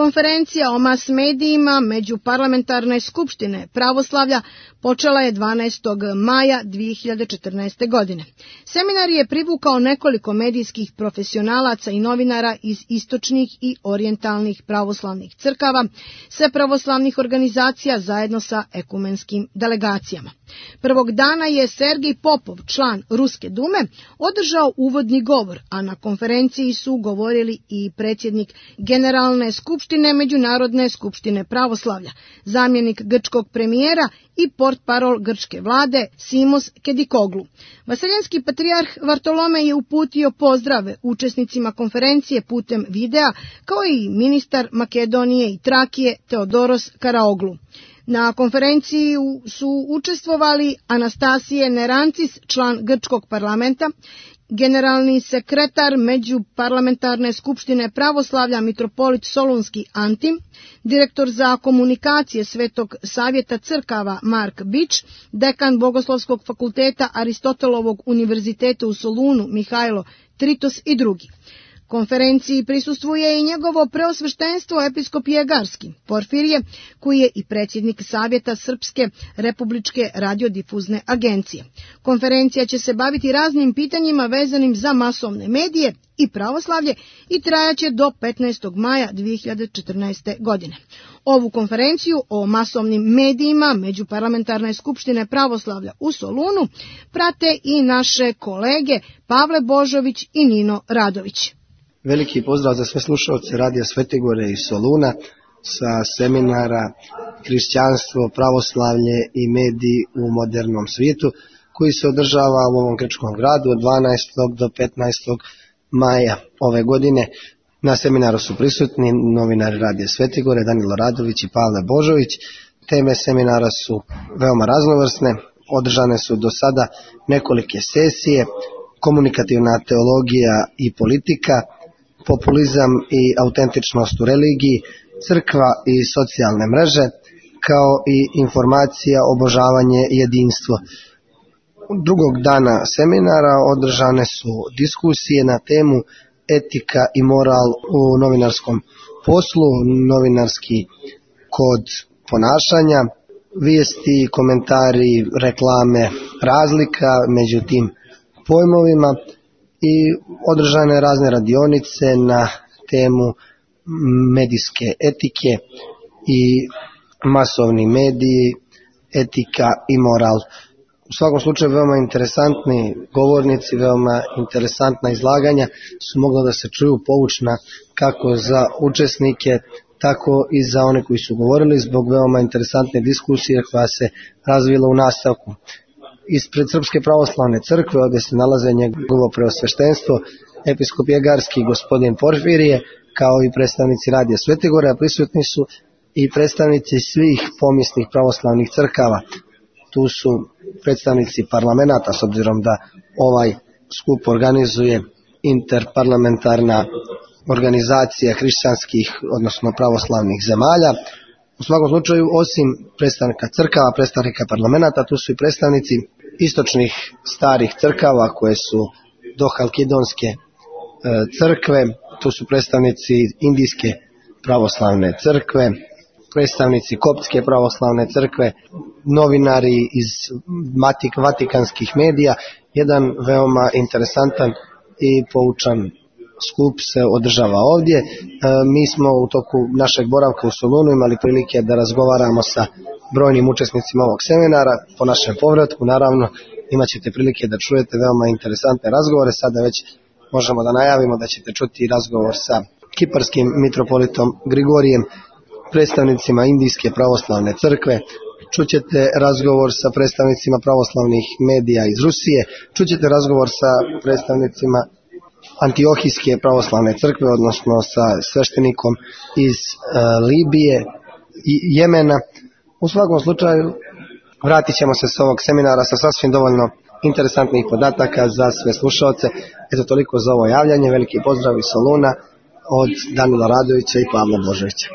Konferencija o mas medijima Međuparlamentarne skupštine pravoslavlja počela je 12. maja 2014. godine. Seminar je privukao nekoliko medijskih profesionalaca i novinara iz istočnih i orijentalnih pravoslavnih crkava, sve pravoslavnih organizacija zajedno sa ekumenskim delegacijama. Prvog dana je Sergij Popov, član Ruske dume, održao uvodni govor, a na konferenciji su govorili i predsjednik Generalne skupštine Međunarodne skupštine pravoslavlja, zamjenik grčkog premijera i portparol grčke vlade Simos Kedikoglu. Vaseljenski patrijarh Vartolomej je uputio pozdrave učesnicima konferencije putem videa, kao i ministar Makedonije i Trakije Teodoros Karaoglu. Na konferenciji su učestvovali Anastasije Nerancis, član grčkog parlamenta, generalni sekretar Međuparlamentarne skupštine pravoslavlja mitropolit Solunski Antim, direktor za komunikacije Svetog savjeta crkava Mark Bič, dekan Bogoslovskog fakulteta Aristotelovog univerziteta u Solunu Mihajlo Tritos i drugi. Konferenciji prisustvuje i njegovo preosveštenstvo episkop Jegarski, Porfirije, koji je i predsjednik Savjeta Srpske republičke radiodifuzne agencije. Konferencija će se baviti raznim pitanjima vezanim za masovne medije i pravoslavlje i trajaće do 15. maja 2014. godine. Ovu konferenciju o masovnim medijima Međuparlamentarne skupštine pravoslavlja u Solunu prate i naše kolege Pavle Božović i Nino Radović. Veliki pozdrav za sve slušalce Radija Svetigore iz Soluna sa seminara Hrišćanstvo, pravoslavlje i mediji u modernom svijetu, koji se održava u ovom grčkom gradu od 12. do 15. maja ove godine. Na seminaru su prisutni novinari Radija Svetigore Danilo Radović i Pavle Božović. Teme seminara su veoma raznovrsne, održane su do sada nekolike sesije: komunikativna teologija i politika, populizam i autentičnost u religiji, crkva i socijalne mreže, kao i informacija, obožavanje i jedinstvo. Drugog dana seminara održane su diskusije na temu etika i moral u novinarskom poslu, novinarski kod ponašanja, vijesti, komentari, reklame, razlika među tim pojmovima, i održane razne radionice na temu medijske etike i masovni mediji, etika i moral. U svakom slučaju veoma interesantni govornici, veoma interesantna izlaganja su mogla da se čuju, poučna kako za učesnike, tako i za one koji su govorili, zbog veoma interesantne diskusije koja se razvila u nastavku. Ispred Srpske pravoslavne crkve, ovdje se nalaze njegovo preosveštenstvo episkop Jegarski gospodin Porfirije, kao i predstavnici Radija Svetigore, a prisutni su i predstavnici svih pomisnih pravoslavnih crkava. Tu su predstavnici parlamenta, s obzirom da ovaj skup organizuje interparlamentarna organizacija hrišćanskih, odnosno pravoslavnih zemalja. U svakom slučaju, osim predstavnika crkava, predstavnika parlamenta, tu su i predstavnici istočnih starih crkava koje su dohalkidonske crkve, tu su predstavnici Indijske pravoslavne crkve, predstavnici Koptske pravoslavne crkve, novinari iz vatikanskih medija. Jedan veoma interesantan i poučan skup se održava ovdje. Mi smo u toku našeg boravka u Solunu imali prilike da razgovaramo sa brojnim učesnicima ovog seminara. Po našem povratku, naravno, imat ćete prilike da čujete veoma interesantne razgovore. Sada već možemo da najavimo da ćete čuti razgovor sa kiparskim mitropolitom Grigorijem, predstavnicima Indijske pravoslavne crkve, čućete razgovor sa predstavnicima pravoslavnih medija iz Rusije, čućete razgovor sa predstavnicima Antiohijske pravoslavne crkve, odnosno sa sveštenikom iz Libije i Jemena. U svakom slučaju vratit ćemo se s ovog seminara sa sasvim dovoljno interesantnih podataka za sve slušaoce. Eto, toliko za ovo javljanje. Veliki pozdrav iz Soluna od Danila Radovića i Pavla Božovića.